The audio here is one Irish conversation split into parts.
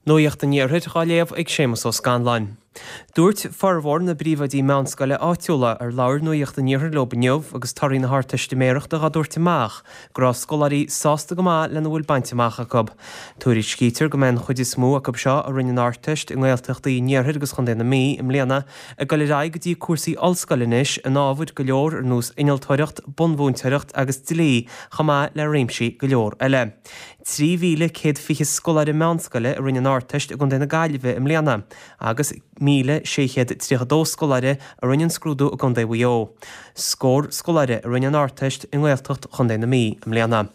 Nuacht an Iarthair dhá léamh ag Séamus Ó Scanláin. Dúirt formhór na bpríomhoidí meánscoile áitiúla ar labhair Nuacht an Iarthair leo inniu agus torthaí na hArdteistiméireachta dhá dtabhairt amach go raibh scoláirí sásta go maith lena bhfuil bainte amach acu. Tuairiscítear go mbeidh an chuid is mó acu seo a rinne an Ardteist i nGaeltachtaí an Iarthair agus Chontae na Mí i mbliana ag dul ar aghaidh go dtí cúrsaí ollscoile anois in ábhair go leor ar nós innealtóireacht, bunmhúinteoireacht agus dlí chomh maith le réimsí go leor eile. 3,120 scoláire meánscoile a rinne an Ardteist i gContae na Gaillimhe i mbliana agus 1,632 scoláire a rinne an scrúdú i gContae Mhaigh Eo. Scór scoláire a rinne an Ardteist i nGaeltacht Chontae na Mí i mbliana.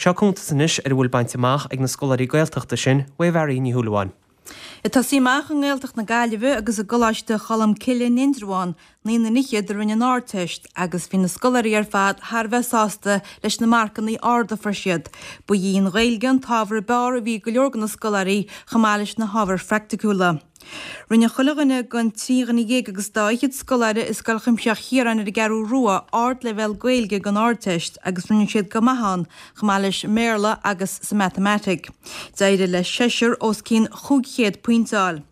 Seo cuntas anois ar a bhfuil bainte amach ag na scoláirí Gaeltachta sin uaidh Mhary Ní Shúilleabháin. Ag tosaí amach i nGaeltacht na Gaillimhe agus i gColáiste Cholm Cille in Indreabhán, naonúr fhichead a rinne an Ardteist agus bhí na scoláirí ar fad thar a bheith sásta leis na marcanna arda a fuair siad. Ba í an Ghaeilge an t-ábhar ab fhearr a bhí ag go leor de na scoláirí chomh maith leis na hábhair phraiticiúla. Rinne chuile dhuine den 13 dhuine agus dá fhichead scoláire i Scoil Chuimsitheach Chiaráin ar an gCeathrú Rua ardleibhéal Gaeilge don Ardteist agus rinne siad go maith ann, chomh maith leis an mBéarla agus sa Matamaitic. D'éirigh le seisear os cionn 500 pointe a fháil.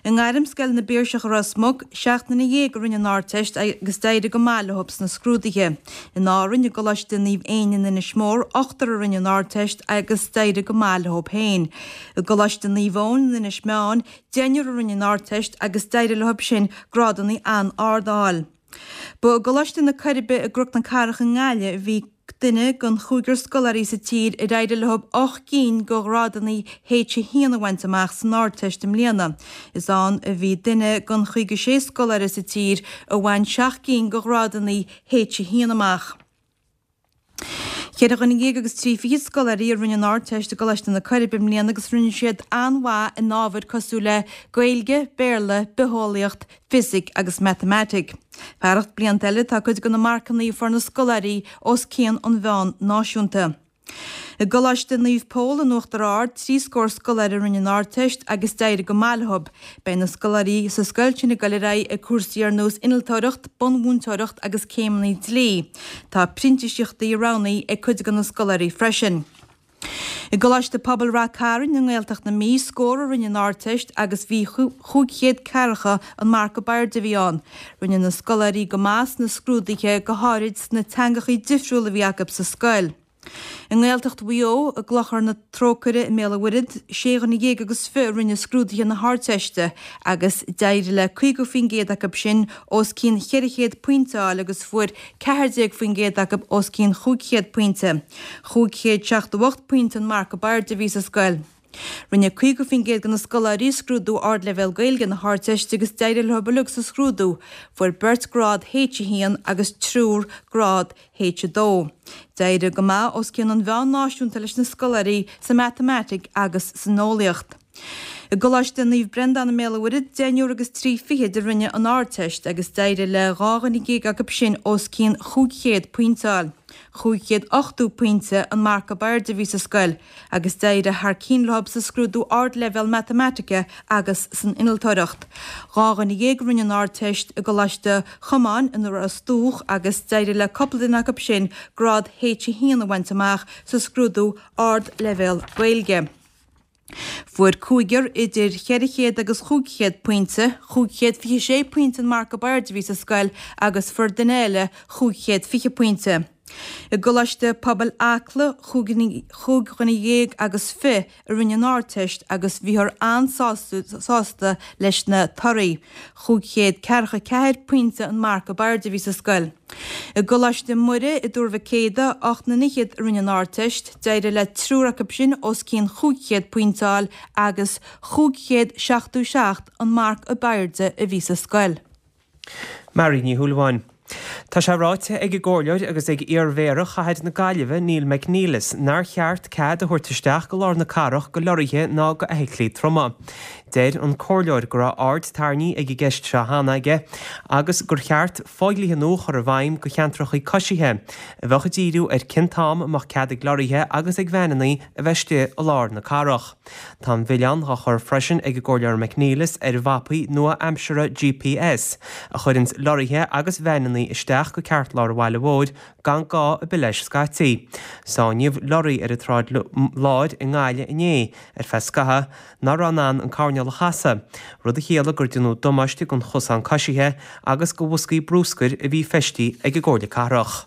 I nGairmscoil na bPiarsach i Ros Muc, 17 nduine a rinne an Ardteist agus d'éirigh go maith leo sna scrúduithe. In Árainn, i gColáiste Naomh Éinne in Inis Mór, ochtar a rinne an Ardteist agus d'éirigh go maith leo féin. I gColáiste Naomh Eoin in Inis Meáin, deichniúr a rinne an Ardteist agus d'éirigh leo sin grádanna an-ard a fháil. Ba i gColáiste na Coiribe i gCnoc na Cathrach i nGaillimh a bhí duine den chúigear scoláirí sa tír ar éirigh leo 8 gcinn de ghrádanna H1 a bhaint amach san Ardteist i mbliana. Is ann a bhí duine den 56 scoláire sa tír a bhain 7 gcinn de ghrádanna H1 amach. Cheithre dhuine dhéag agus trí fichid scoláirí a rinne an Ardteist i gColáiste na Coiribe i mbliana agus rinne siad an-mhaith in ábhair cosúil le Gaeilge, Béarla, Bitheolaíocht, Fisic agus Matamaitic. Fearacht blianta eile tá cuid de na marcanna a fuair na scoláirí os cionn an mheáin náisiúnta. I gColáiste Naomh Pól in Uachtar Ard, trí scór scoláire a rinne an Ardteist agus d'éirigh go maith leo. Beidh na scoláirí sa scoil sin ag dul ar aghaidh ag cúrsaí ar nós innealtóireacht, bunmhúinteoireacht agus céimeanna dlí. Tá printíseachtaí roghnaithe ag cuid de na scoláirí freisin. I gColáiste Pobail Rath Cairn i nGaeltacht na Mí, scór a rinne an Ardteist agus bhí 540 an marc ab airde a bhí ann. Rinne na scoláirí go maith sna scrúduithe, go háirid sna teangachaí difriúla a bhí acu sa scoil. I nGaeltacht Mhaigh Eo, i gClochar na Trócaire i mBéal an Mhuirthead, sé dhuine dhéag agus fiche a rinne scrúduithe na hArdteiste agus d'éirigh le 50% acu sin os cionn 400 pointe a fháil agus fuair 14% acu os cionn 500 pointe. 578 pointe an marc ab airde a bhí sa scoil. Rinne 50% de na scoláirí scrúdú Ardleibhéal Gaeilge na hArdteiste agus d'éirigh leo uilig sa scrúdú. Fuair beirt grád H1 agus triúr grád H2. D'éirigh go maith os cionn an mheáin náisiúnta leis na scoláirí sa Matamaitic agus san Eolaíocht. I gColáiste Naomh Breandán i mBéal an Mhuirthead, deichniúr agus trí fichid a rinne an Ardteist agus d'éirigh le 12 dhuine acu sin os cionn 500 pointe a fháil. 580 pointe an marc ab airde a bhí sa scoil agus d'éirigh thar cinn leo sa scrúdú Ardleibhéal Matamaitice agus san Innealtóireacht. 12 dhuine a rinne an Ardteist i gColáiste Chomáin i Ros Dumhach agus d'éirigh le cúpla duine acu sin grád H1 a bhaint amach sa scrúdú Ardleibhéal Gaeilge. Fuair cúigear idir 400 agus 500 pointe, 526 pointe an marc ab airde a bhí sa scoil agus fuair duine eile 520 pointe. I gColáiste Pobail Acla, chúig dhuine dhéag agus fiche a rinne an Ardteist agus bhíothar an-sásta leis na torthaí. 544 pointe an marc ab airde a bhí sa scoil. I gColáiste Muire i dTuar Mhic Éadaigh, 8 nduine fhichead a rinne an Ardteist, d'éirigh le triúr acu sin os cionn 500 pointe a fháil agus 577 an marc ab airde a bhí sa scoil. Mary Ní Shúilleabháin. Tá sé ráite ag an gComhairleoir agus ag iar-Mhéara Chathair na Gaillimhe, Neil McNeilus, nár cheart cead a thabhairt isteach go lár na cathrach go leoraithe ná go fheithiclí troma. Deir an Comhairleoir go raibh aird tarraingthe ag an gceist seo cheana aige agus gur cheart fodhlíthe nua a chur i bhfeidhm go cheantracha coisithe, a bheadh ag díriú ar cén t-am a mbeadh cead ag leoraithe agus ag veaineanna a bheith istigh i lár na cathrach. Tá an milleán á chur freisin ag an gComhairleoir McNeilis ar mhapaí nua-aimseartha GPS a chuireanns leoraithe agus veaineanna. carrannaí isteach go ceartlár an bhaile mhóir gan gá ar bith leis scaití. Sáinníodh lorraí ar an tSráid Láir i nGaillimh inné ar feadh scathaimh nach raibh in ann an coirnéal a chasadh, rud a chiallaigh gur déanadh damáiste don chosán coisithe agus do bhoscaí brúscair a bhí feistithe ag an gComhairle Cathrach.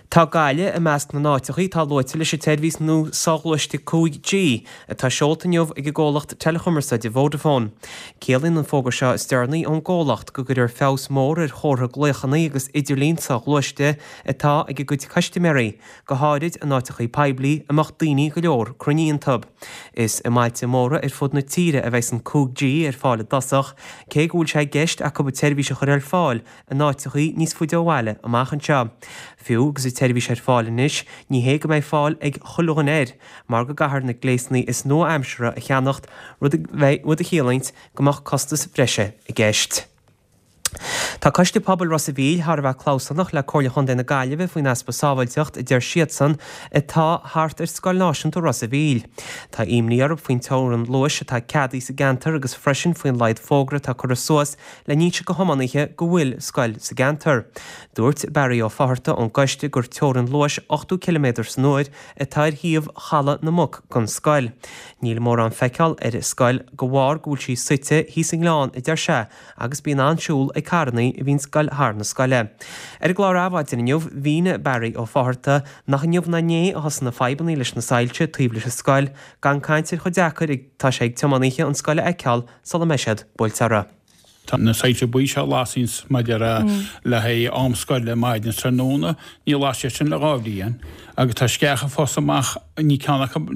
Tá Gaillimh i measc na n-áiteachaí atá luaite leis an tseirbhís nua soghluaiste 5G atá seolta inniu ag an gcomhlacht teileachumarsáide Vodafone. Ciallaíonn an fógra seo is deireanaí ón gcomhlacht go gcuirfear feabhas mór ar chomhartha glaochanna agus idirlíon soghluaiste atá ag a gcuid custaiméirí, go háirid in áiteachaí poiblí a mbeadh daoine go leor cruinnithe iontu. Is i mbailte móra ar fud na tíre a bheidh an 5G ar fáil i dtosach, cé go bhfuil sé i gceist acu an tseirbhís a chur ar fáil in áiteachaí níos faide ó bhaile amach anseo. Fiú agus an tseirbhís ar fáil anois, ní hé go mbeidh fáil ag chuile dhuine air, mar go gcaithfear na gléasanna is nua-aimseartha a cheannacht, rud a chiallaíonns go mbeadh costais bhreise i gceist. Tá Coiste Pobail Ros a' Mhíl thar a bheith clamhsánach le Comhairle Chontae na Gaillimhe faoin easpa sábháilteacht, a deir siadsan, atá thart ar Scoil Náisiúnta Ros a' Mhíl. Tá imní orthu faoin teorainn luais atá ceadaithe sa gceantar agus freisin faoin laghad fógra atá curtha suas le n-inse go thiománaithe go bhfuil scoil sa gceantar. Dúirt Barry Ó Fátharta ón gcoiste gur teorainn luais 80 ciliméadar san uair atá ar thaobh Chaladh na Muc gon scoil. Níl mórán feiceáil ar an scoil go bharr go bhfuil sí suite thíos i ngleann, a deir sé, agus bíonn an-siúl ag carrannaí a bhíonns ag goil thar na scoile. Ar an gclár Adhmhaidin inniu, mhínigh Barry Ó Fátharta nach inniu ná inné a thosaigh na fadhbannaí leis na soilse taobh leis an scoil, gan caint ar chomh deacair atá sé ag tiománaithe an scoil a fheiceáil sula mbeidh siad buailte orthu. Tá na soilse buí seo a lasaíonns maidir le haghaidh am scoile maidin is tráthnóna, níor las siad sin le 2 bhliain agus tá sceacha ag fás amach, níl ceann acu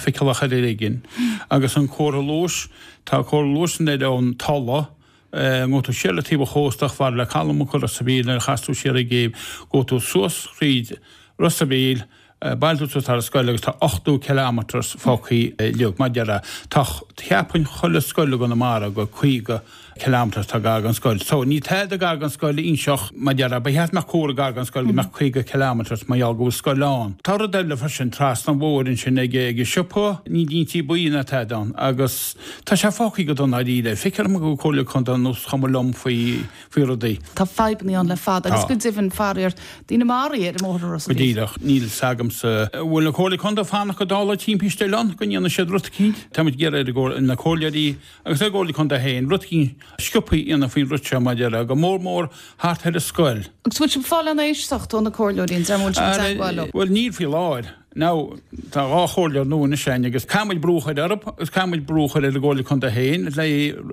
feiceálach ar éigin. Agus an comhartha luais, tá comhartha luais san Oileán Tola, ngabhfaidh tú siar le taobh an chósta chomh fada le Caladh Muc i Ros a' Mhíl nuair a chas tú siar ag gcéibh, gabhfaidh tú suas thríd Ros a' Mhíl, Bailfidh tú suas thar an scoil agus tá 80 kilometres fágthaí uilig. Mar a déarfá, tá, cheapfainn chuile scoil i gConamara gur 50 kilometres atá gar don scoil. So, níl tada gar don scoil a inseodh, mar a déarfá, ba cheart go mbeadh comhartha gar don scoil go mbeadh 50 kilometres mar gheall go bhfuil scoil ann. Tá rud eile freisin, trasna an bhóthair ansin ag ag an siopa, níl línte buí ná tada ann agus tá sé fágthaí go dona dáiríre. Feictear dom go bhfuil Comhairle Contae ar nós chuma liom faoi faoi rudaí. Tá fadhbanna ann le fada agus go deimhin, faraor, daoine maraithe ar an mbóthar i Ros an Go Mhíl. díreach. Níl 's agamsa. An bhfuil an Comhairle Contae ag fanacht go dtarlóidh timpiste eile ann go ndéanfaidh siad rud eicínt? Tá muid ag iarraidh ar na comhairleoirí agus ar an gComhairle Contae féin rud eicínt sciobtha a dhéanamh faoin rud seo mar a déarfá, go mór mór thart ar an scoil. Agus bhfuil sibh ag fáil aon éisteacht ó na comhairleoirí, an bhfuil sibh i dteagmháil leo? Bhuel níl faoi láthair. Now, tá 2 chomhairleoir nua anois againn agus caithfidh muid brú a chur orthu agus caithfidh muid brú a chur ar an gComhairle Contae féin le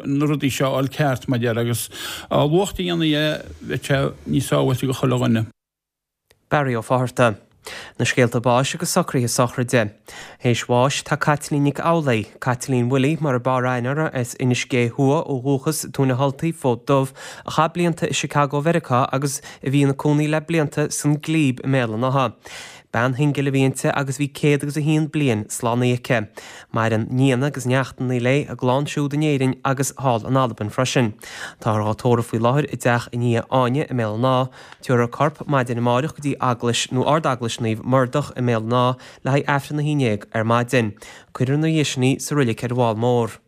na rudaí seo a fháil ceart, mar a déarfá, agus a luaithe a dhéanfaí é, bheadh sé níos sábháilte do chuile dhuine. Barry Ó Fátharta. Na scéalta báis agus socruithe sochraide. Théis bháis tá Caitlín Nic Amhlaoidh, Caitlín Willie mar a b'fhearr aithne uirthi, as Inis Gé Thuaidh ó dhúchas, Tóin an Ultaigh, Fód Dubh, a chaith blianta i Chicago Mheiriceá agus a bhí ina cónaí le blianta san Glebe i mBéal an Átha. Bean shingil a bhí inti agus bhí 101 bliain slánaithe aici. Maireann nianna agus neachtanna léi, a gclann siúd in Éirinn agus thall in Albain freisin. Táthar dhá tórramh faoi láthair i dteach a nia Áine i mBéal an Átha. Tabharfar a corp maidin amáireach go dtí Eaglais nó Ard-Eaglais Naomh Muredach i mBéal an Átha le haghaidh Aifreann a 11 ar maidin. Cuirfear ina dhiaidh sin í sa roilig ar an bhFál Mór.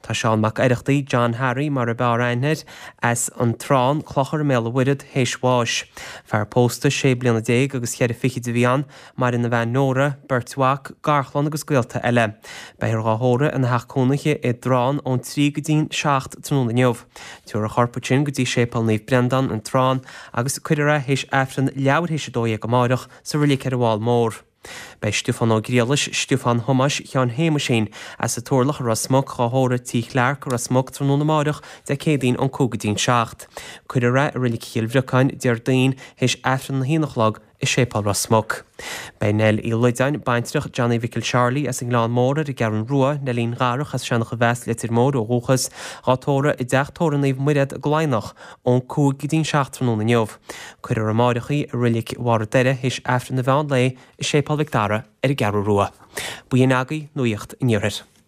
Tá Seán Mac Oireachtaigh, John Harry mar a b'fhearr aithne air, as An Trán, Clochar i mBéal an Mhuirthead, théis bháis. Fear pósta sé bliana déag agus cheithre fichid a bhí ann, maireann a bhean Nóra, beirt mhac, garchlann agus gaolta eile. Beifear dhá thórramh ina theach cónaithe i dTrán ón 3 go dtí'n 7 tráthnóna inniu. Tabharfar a chorp ansin go dtí Séipéal Naomh Breandán, An Trán, agus cuirfear é théis Aifreann leathuair théis 12 amáireach sa roilig ar an bhFál Mór. Beidh Stiofán Ó Griallais, Stiofán Thomáis Sheáin Shéamuisín, as an Turlach i Ros Muc, dhá thórramh Tí Chlarke i Ros Muc tráthnóna amáireach, Dé Céadaoin ón 5 go dtí'n 7. Cuirfear é i Roilig Chill Bhriocáin, Déardaoin, théis Aifreann na haon a chlog i Séipéal Ros Muc. Beidh Nell Uí Loideáin, baintreach Johnny Mhicil Charlie as an nGleann Mór ar an gCeathrún Rua, Neilín Dharach as Seanach an Mheas, Leitir Móir ó dhúchas, dhá tórramh i dTeach Tórraimh Naomh Muiréad i gCladhnach ón 5 go dtí'n 7 tráthnóna inniu. Cuirfear amáireach í i Roilig Bharr an Doire théis Aifreann an mheán lae i Séipéal Mhic Dara ar an gCeathrú Rua. B'in agaibh Nuacht an Iarthair.